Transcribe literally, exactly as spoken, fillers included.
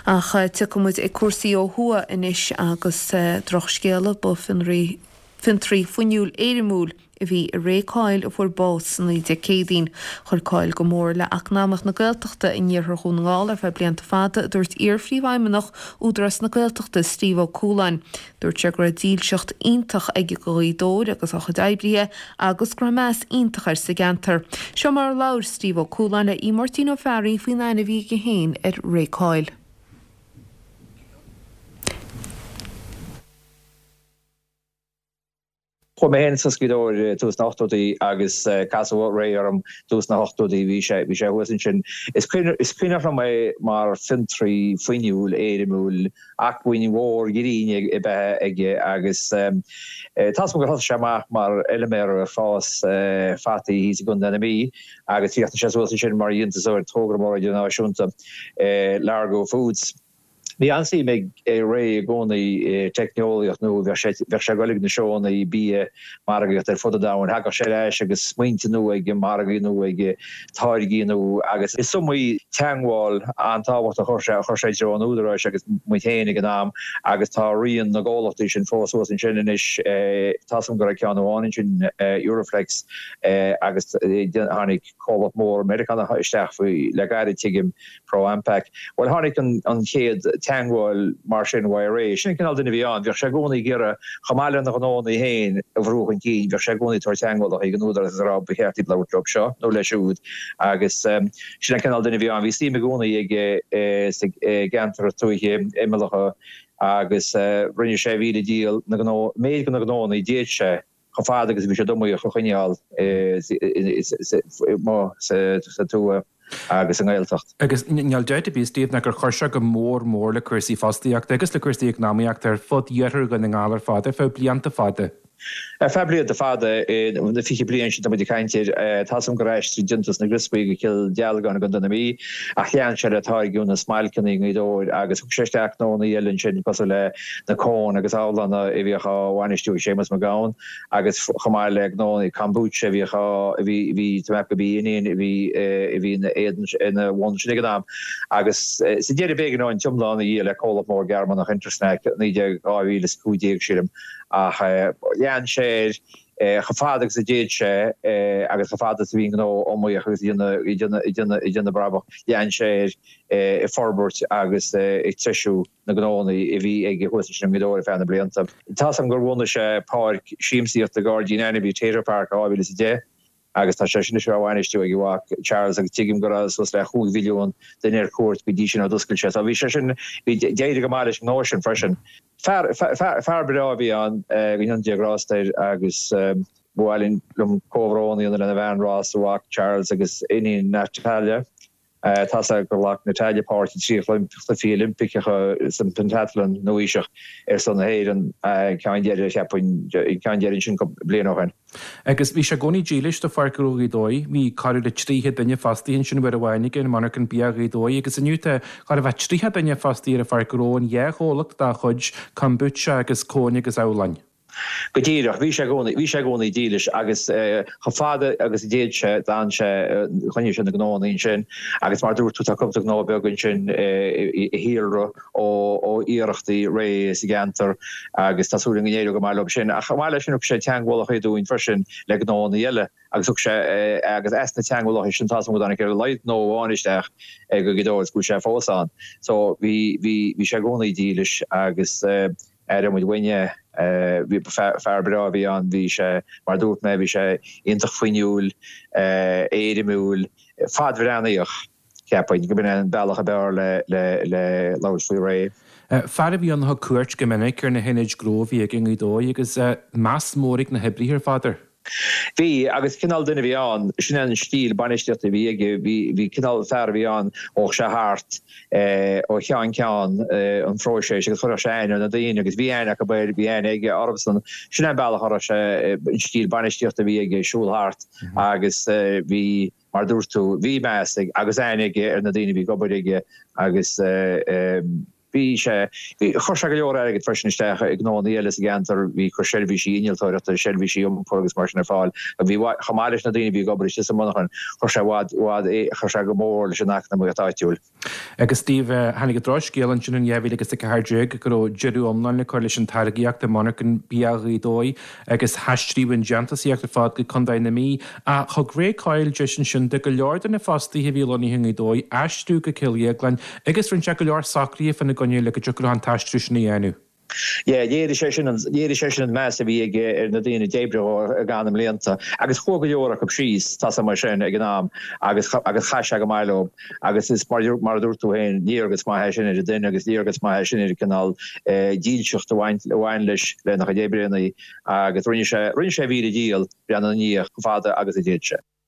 Ach tiocfaidh muid ag cúrsaí ó thuaidh anois agus drochscéala ba fionraí fiontraí fuinniúil éirimiúil a bhí i Ray Coyle a fuair bás san oíche Dé Céadaoin. Chuir Coyle go mór le eacnamaíocht na Gaeltachta in iarthar Dhún na nGall ar feadh blianta fada a dúirt iar-phríomhfheidhmeannach Údarás na Gaeltachta Steve Ó Cualáin. Dúirt sé go raibh dílseacht iontach aige do Ghaoth Dobhair agus a chuid oibrithe agus go raibh meas iontach air sa gceantar. Seo mar a labhair Steve Ó Cualáin le Máirtín Ó Fearraigh faoin aithne a bhí aige féin ar Ray Coyle. Chuaigh mé féin suas Gaoth Dobhair tús na hochtóidí agus casadh Ray orm tús na hochtóidí, bhí sé bhí sé thuas ansin. Is is cuimhneach liom é mar fiontraí fuinniúil, éirimiúil, acmhainn mhór ghrinn ab ea aige agus tá 'fhios a'm gur thosaigh sé amach mar fheilméara ag fás fataí thíos i gContae na Mí agus chríochnaigh sé suas ansin mar dhéantúsóir togra mór idirnáisiúnta Largo Foods. Bhí an-suim ag Ray i gcónaí i teicneolaíocht nua, bheadh sé bheadh sé ag dul ag na seónna bia, margaíocht ar fud an domhain, thagadh sé ar ais agus smaointe nua aige, margaí nua aige, táirgí nua agus is iomaí teagmháil an-tábhachtach a chuir sé a chuir sé i dtreo an Údaráis agus muid féin ag an am agus tá rian na gcomhlachtaí sin fós thuas ansin anois. Tá 'fhios a'm go raibh ceann amháin ansin, Euroflex, agus tháinig comhlacht mór Meiriceánach isteach faoi le gairid tuigim, ProAmpac. Bhuel, tháinig an chéad teagmháil mar sin uaidh Ray. Sin an cineál duine a bhí ann. Bheadh sé i gcónaí ag iarraidh, chomh maith lena ghnónna féin a bhrú chun cinn, bheadh sé i gcónaí ag tabhairt teagmhálacha chuig an Údarás agus ag rá ba cheart iad labhairt leo seo nó leis siúd agus sin an cineál duine a bhí ann. Bhí suim i gcónaí aige sa gceantar tuaithe imeallacha agus rinne sé a mhíle dícheall na gnó, méid de na gnónna a d'fhéad sé chomh fada agus a bhí siad iomaíoch a choinneáil sa tuath agus sa nGaeltacht. Agus níl dabht ar bith, Steve, ná gur chuir sé go mór mór le cúrsaí fostaíochta agus le cúrsaí eacnamaíochta ar fud iarthar Dhún na nGall ar fad ar feadh blianta fada. Ar feadh blianta fada, na fiche bliain sin atá muid ag caint air, tá 'fhios a'm gur aistrigh déantús na gcriospaí go Cill Dealgáin i gContae na Mí, ach lean sé le táirgeadh na smailceanna i nGaoth Dobhair agus thug sé isteach gnónna eile ansin cosúil le na cóin agus abhlanna a bhíodh á bhainistiú ag Séamus Mac Gabhann agus chomh maith le gnónna kombucha a bhíodh á a bhí bhí tá mé ag ceapadh gurb í a iníon a bhí a bhí ina éadan ina bhun sin ag an am agus sa deireadh b'éigean dó an t-iomlán a dhíol le comhlacht mór Gearmánach Intersnack naoi déag dhá mhíle is a cúig déag sílim ach lean sé air chomh fada agus a d'fhéad sé agus chomh fada is a bhí an gnó iomaíoch agus ag déanamh brabach lean sé air ag forbairt agus ag treisiú na gnónna a bhí aige thuas ansin i nGaoth Dobhair ar feadh na blianta. Tá 'fhios a'm gur bhunaigh sé páirc siamsaíochta Gairdín Ainmhí Tater Park i dhá mhíle is a deich agus tá sé sin anois á bhainistiú ag a mhac Charles agus tuigim go raibh suas le chúig mhilliún duine ar cuairt go dtí sin ó d'oscail sé. So bhí sé sin, bhí, d'éirigh go maith leis an ngnó sin freisin. Fear, fear, fear breá a bhí ann, go ndéana Dia grásta air agus ba mhaith liom comhbhrón a dhéanamh lena bhean Ros, a mhac Charles agus iníon Natalia. Tá 'fhios a'm gur ghlac Natalia páirt i dtrí chluichí Oilimpeacha san Pentathlon nua-aoiseach ar son na hÉireann, ceann deiridh, cheapfainn, ceann deiridh ansin cúpla bliain ó shin. Agus bhí sé i gcónaí dílis do Pháirc Ghnó Ghaoth Dobhair. Bhí corradh le tríocha duine fostaithe ansin uair amháin aige in monarcha bia Ghaoth Dobhair agus inniu tá chóir a bheith tríocha duine fostaithe ar an Pháirc Ghnó in dhá chomhlacht dá chuid, Kombucha agus Cóin agus Abhláin. Go díreach, bhí sé i gcónaí, bhí sé i gcónaí dílis agus chomh fada agus a d'fhéad sé, d'fhan sé, choinnigh sé na gnóanna ansin agus mar a dúirt tú tá cúpla gnó beag ansin a shíolraigh ó ó iarrachtaí Ray sa gceantar agus tá súil againn go n-éireoidh go maith leo sin. Ach chomh maith leis sin thug sé teagmhálacha dúinn freisin le gnóanna eile agus thug sé agus as na teagmhálacha sin tá 'fhios a'm go dtáinig ar a laghad gnó amháin isteach go Gaoth Dobhair agus go bhfuil sé fós ann. So bhí bhí bhí sé i gcónaí dílis agus Aireoidh muid uainn é. Bhí fear breá a bhí ann, bhí sé, mar a dúirt mé, bhí sé iontach fuinniúil, éirimiúil, fadbhreathnaíoch, cheapfainn, go b'in é an bealach ab fhearr le le labhairt faoi Ray. Fear a bhí ann a thug cuairt go minic ar na hionaid ghnó a bhí aige i nGaoth Dobhair agus meas mór ag na hoibrithe ar fad air. Bhí, agus cineál duine a bhí ann, sin é an stíl bainistíochta a bhí aige, bhí, bhí cineál fear a bhí ann, ghabhadh sé thart ó cheann ceann an phróisis agus chuirfeadh sé aithne ar na daoine agus bhí aithne acu air, bhí aithne aige orthusan. Sin é an bealach a raibh sé, an stíl bainistíochta a bhí aige, siúl thart agus bhí, mar a dúirt tú, bhí meas ag agus aithne aige ar na daoine a bhí ag obair aige agus. Bhí sé, bhí, chuir sé go leor airgid freisin isteach i ngnónna eile sa gceantar, bhí chuir seirbhísí innealtóireachta, seirbhísí iompair agus mar sin ar fáil. Bhí, chomh maith leis na daoine a bhí ag obair istigh sa mhonarchan, chuir sé i bhfad, i bhfad, chuir sé go mór leis an eacnamaíocht áitiúil. Agus Steve, tháinig an drochscéal ansin in dhá mhíle agus a ceathair déag go raibh deireadh iomlán le cur leis an táirgíocht i monarchan bia Ghaoth Dobhair agus haistríodh an déantúsaíocht ar fad go Contae na Mí. Ach thug Ray Coyle deis ansin do go leor de na fostaithe a bhí lonnaithe i nGaoth Dobhair aistriú go Cill Dhéagláin agus rinne sé go leor socruithe fána gcoinne le go dtiocfadh leo an t-aistriú sin a dhéanamh. Yeah, léirigh sé sin an, léirigh sé sin an meas a bhí aige ar na daoine a d'oibrigh dó i gcaitheamh na mblianta agus chuaigh go leor acu síos, tá sé mar sin ag an am agus agus chaith sé go maith leo agus is mar mar a dúirt tú féin, léargas maith é sin ar an duine agus léargas maith é sin ar an cineál dílseacht a bhain a bhain leis lena chuid oibreanna agus rinne sé rinne sé a mhíle dícheall breathnú ina dhiaidh chomh fada agus a d'fhéad sé.